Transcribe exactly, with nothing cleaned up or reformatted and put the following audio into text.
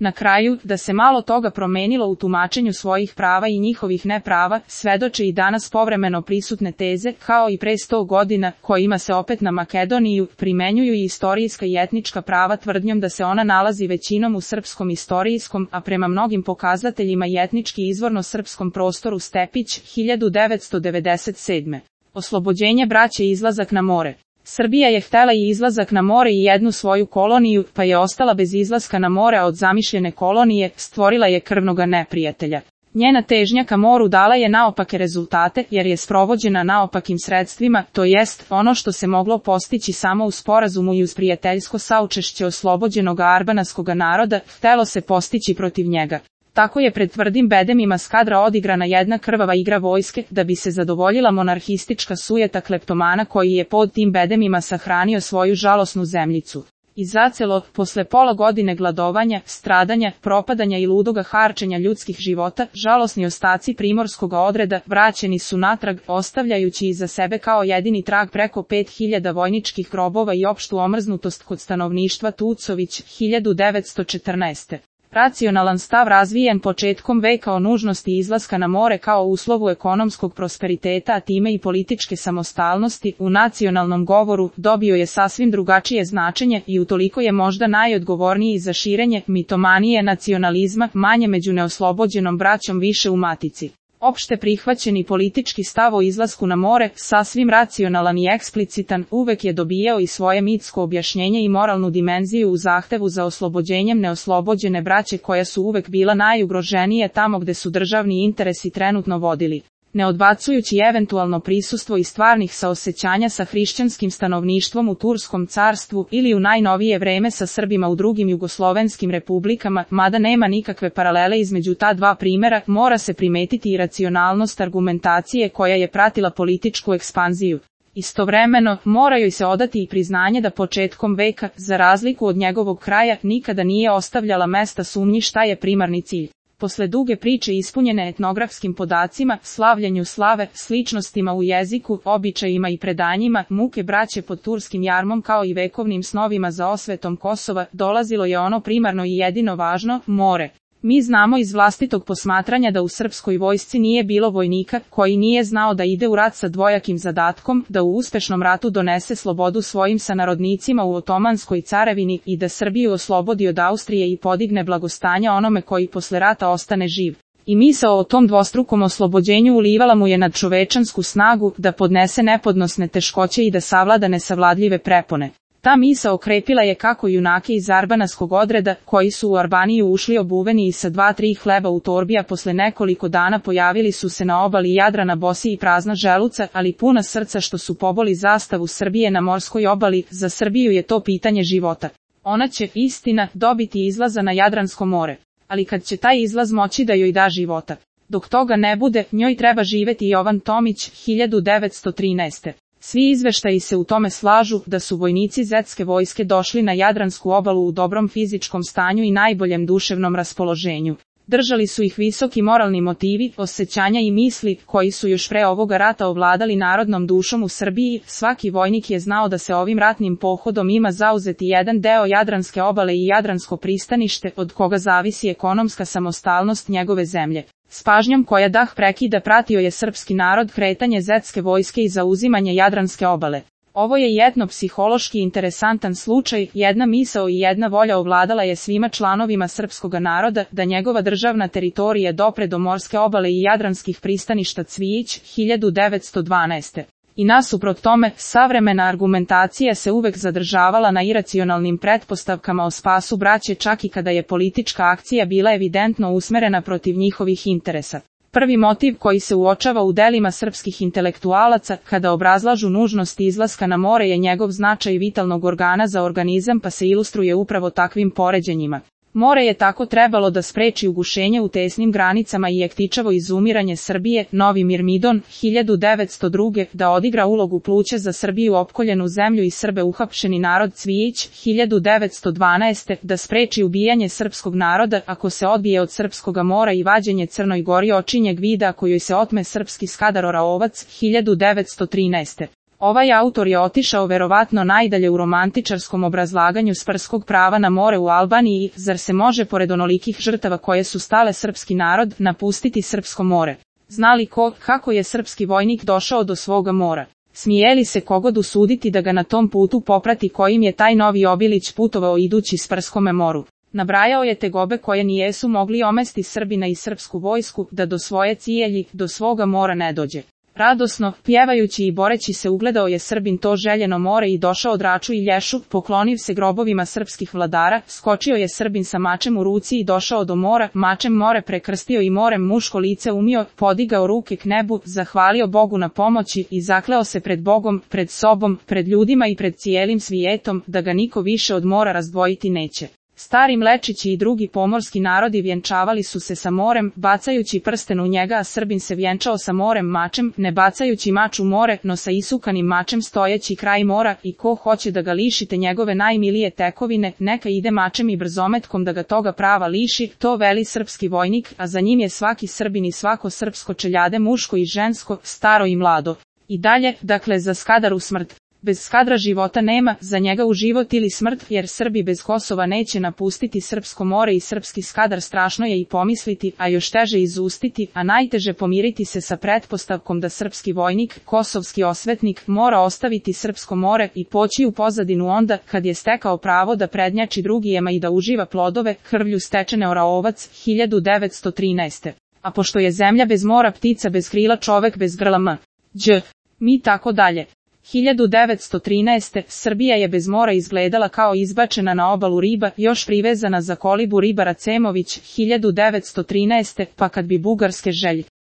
Na kraju, da se malo toga promenilo u tumačenju svojih prava i njihovih neprava, svedoče i danas povremeno prisutne teze, kao i pre sto godina, kojima se opet na Makedoniju primenjuju i istorijska i etnička prava tvrdnjom da se ona nalazi većinom u srpskom istorijskom, a prema mnogim pokazateljima i etnički izvorno srpskom prostoru Stepić, hiljadu devetsto devedeset sedme. Oslobođenje braće i izlazak na more. Srbija je htela i izlazak na more i jednu svoju koloniju, pa je ostala bez izlaska na more, a od zamišljene kolonije stvorila je krvnoga neprijatelja. Njena težnja ka moru dala je naopake rezultate, jer je sprovođena naopakim sredstvima, to jest, ono što se moglo postići samo u sporazumu i uz prijateljsko saučešće oslobođenog arbanaskog naroda, htelo se postići protiv njega. Tako je pred tvrdim bedemima Skadra odigrana jedna krvava igra vojske, da bi se zadovoljila monarhistička sujeta kleptomana koji je pod tim bedemima sahranio svoju žalosnu zemljicu. I zacelo, posle pola godine gladovanja, stradanja, propadanja i ludoga harčenja ljudskih života, žalosni ostaci primorskog odreda vraćeni su natrag, ostavljajući iza sebe kao jedini trag preko pet hiljada vojničkih grobova i opštu omrznutost kod stanovništva. Tucović, hiljadu devetsto četrnaeste. Racionalan stav razvijen početkom veka o nužnosti izlaska na more kao uslovu ekonomskog prosperiteta, a time i političke samostalnosti, u nacionalnom govoru dobio je sasvim drugačije značenje i utoliko je možda najodgovorniji za širenje mitomanije nacionalizma, manje među neoslobođenom braćom, više u matici. Opšte prihvaćeni politički stav o izlasku na more, sasvim racionalan i eksplicitan, uvek je dobijao i svoje mitsko objašnjenje i moralnu dimenziju u zahtevu za oslobođenjem neoslobođene braće koja su uvek bila najugroženije tamo gde su državni interesi trenutno vodili. Ne odbacujući eventualno prisustvo i stvarnih saosećanja sa hrišćanskim stanovništvom u Turskom carstvu ili u najnovije vreme sa Srbima u drugim jugoslovenskim republikama, mada nema nikakve paralele između ta dva primera, mora se primetiti i racionalnost argumentacije koja je pratila političku ekspanziju. Istovremeno, mora joj se odati i priznanje da početkom veka, za razliku od njegovog kraja, nikada nije ostavljala mesta sumnji šta je primarni cilj. Posle duge priče ispunjene etnografskim podacima, slavljenju slave, sličnostima u jeziku, običajima i predanjima, muke braće pod turskim jarmom kao i vekovnim snovima za osvetom Kosova, dolazilo je ono primarno i jedino važno, more. Mi znamo iz vlastitog posmatranja da u srpskoj vojsci nije bilo vojnika koji nije znao da ide u rat sa dvojakim zadatkom, da u uspešnom ratu donese slobodu svojim sanarodnicima u Otomanskoj carevini i da Srbiju oslobodi od Austrije i podigne blagostanja onome koji posle rata ostane živ. I misao o tom dvostrukom oslobođenju ulivala mu je nadčovečansku snagu da podnese nepodnosne teškoće i da savlada nesavladljive prepone. Ta misao okrepila je kako junake iz arbanaskog odreda, koji su u Arbaniju ušli obuveni i sa dva tri hleba u torbi, a posle nekoliko dana pojavili su se na obali Jadrana bosi i prazna želuca, ali puna srca što su poboli zastavu Srbije na morskoj obali. Za Srbiju je to pitanje života. Ona će, istina, dobiti izlaza na Jadransko more. Ali kad će taj izlaz moći da joj da života? Dok toga ne bude, njoj treba živeti. Jovan Tomić, hiljadu devetsto trinaeste. Svi izveštaji se u tome slažu da su vojnici zetske vojske došli na Jadransku obalu u dobrom fizičkom stanju i najboljem duševnom raspoloženju. Držali su ih visoki moralni motivi, osjećanja i misli, koji su još pre ovoga rata ovladali narodnom dušom u Srbiji. Svaki vojnik je znao da se ovim ratnim pohodom ima zauzeti jedan deo Jadranske obale i Jadransko pristanište, od koga zavisi ekonomska samostalnost njegove zemlje. S pažnjom koja dah prekida pratio je srpski narod kretanje zetske vojske i zauzimanje Jadranske obale. Ovo je jedno psihološki interesantan slučaj, jedna misao i jedna volja ovladala je svima članovima srpskoga naroda da njegova državna teritorija dopre do morske obale i jadranskih pristaništa. Cvijić, hiljadu devetsto dvanaeste. I nasuprot tome, savremena argumentacija se uvek zadržavala na iracionalnim pretpostavkama o spasu braće, čak i kada je politička akcija bila evidentno usmerena protiv njihovih interesa. Prvi motiv koji se uočava u delima srpskih intelektualaca kada obrazlažu nužnost izlaska na more je njegov značaj vitalnog organa za organizam, pa se ilustruje upravo takvim poređenjima. More je tako trebalo da spreči ugušenje u tesnim granicama i ektičavo izumiranje Srbije. Novi Mirmidon, hiljadu devetsto druge. Da odigra ulogu pluća za Srbiju opkoljenu zemlju i Srbe uhapšeni narod. Cvijić, hiljadu devetsto dvanaeste. Da spreči ubijanje srpskog naroda ako se odbije od srpskoga mora i vađenje Crnoj Gori očinjeg vida ako joj se otme srpski Skadar Oraovac. hiljadu devetsto trinaeste. Ovaj autor je otišao verovatno najdalje u romantičarskom obrazlaganju sprskog prava na more u Albaniji, zar se može pored onolikih žrtava koje su stale srpski narod napustiti srpsko more? Zna li ko, kako je srpski vojnik došao do svoga mora? Smije li se kogod usuditi da ga na tom putu poprati kojim je taj novi Obilić putovao idući sprskome moru? Nabrajao je tegobe koje nijesu mogli omesti Srbina i srpsku vojsku da do svoje cijelji, do svoga mora ne dođe. Radosno, pjevajući i boreći se ugledao je Srbin to željeno more i došao Draču i Lješu, pokloniv se grobovima srpskih vladara, skočio je Srbin sa mačem u ruci i došao do mora, mačem more prekrstio i morem muško lice umio, podigao ruke k nebu, zahvalio Bogu na pomoći i zakleo se pred Bogom, pred sobom, pred ljudima i pred cijelim svijetom, da ga niko više od mora razdvojiti neće. Stari Mlečići i drugi pomorski narodi vjenčavali su se sa morem, bacajući prsten u njega, a Srbin se vjenčao sa morem mačem, ne bacajući mač u more, no sa isukanim mačem stojeći kraj mora, i ko hoće da ga lišite njegove najmilije tekovine, neka ide mačem i brzometkom da ga toga prava liši, to veli srpski vojnik, a za njim je svaki Srbin i svako srpsko čeljade muško i žensko, staro i mlado. I dalje, dakle za Skadaru smrt. Bez Skadra života nema, za njega u život ili smrt, jer Srbi bez Kosova neće napustiti srpsko more i srpski Skadar strašno je i pomisliti, a još teže izustiti, a najteže pomiriti se sa pretpostavkom da srpski vojnik, kosovski osvetnik, mora ostaviti srpsko more i poći u pozadinu onda, kad je stekao pravo da prednjači drugijema i da uživa plodove, krvlju stečene Oraovac, hiljadu devetsto trinaeste. A pošto je zemlja bez mora, ptica bez krila, čovek bez grla m. Đ. Mi tako dalje. hiljadu devetsto trinaeste. Srbija je bez mora izgledala kao izbačena na obalu riba, još privezana za kolibu ribara Cemović, hiljadu devetsto trinaeste. Pa kad bi bugarske želje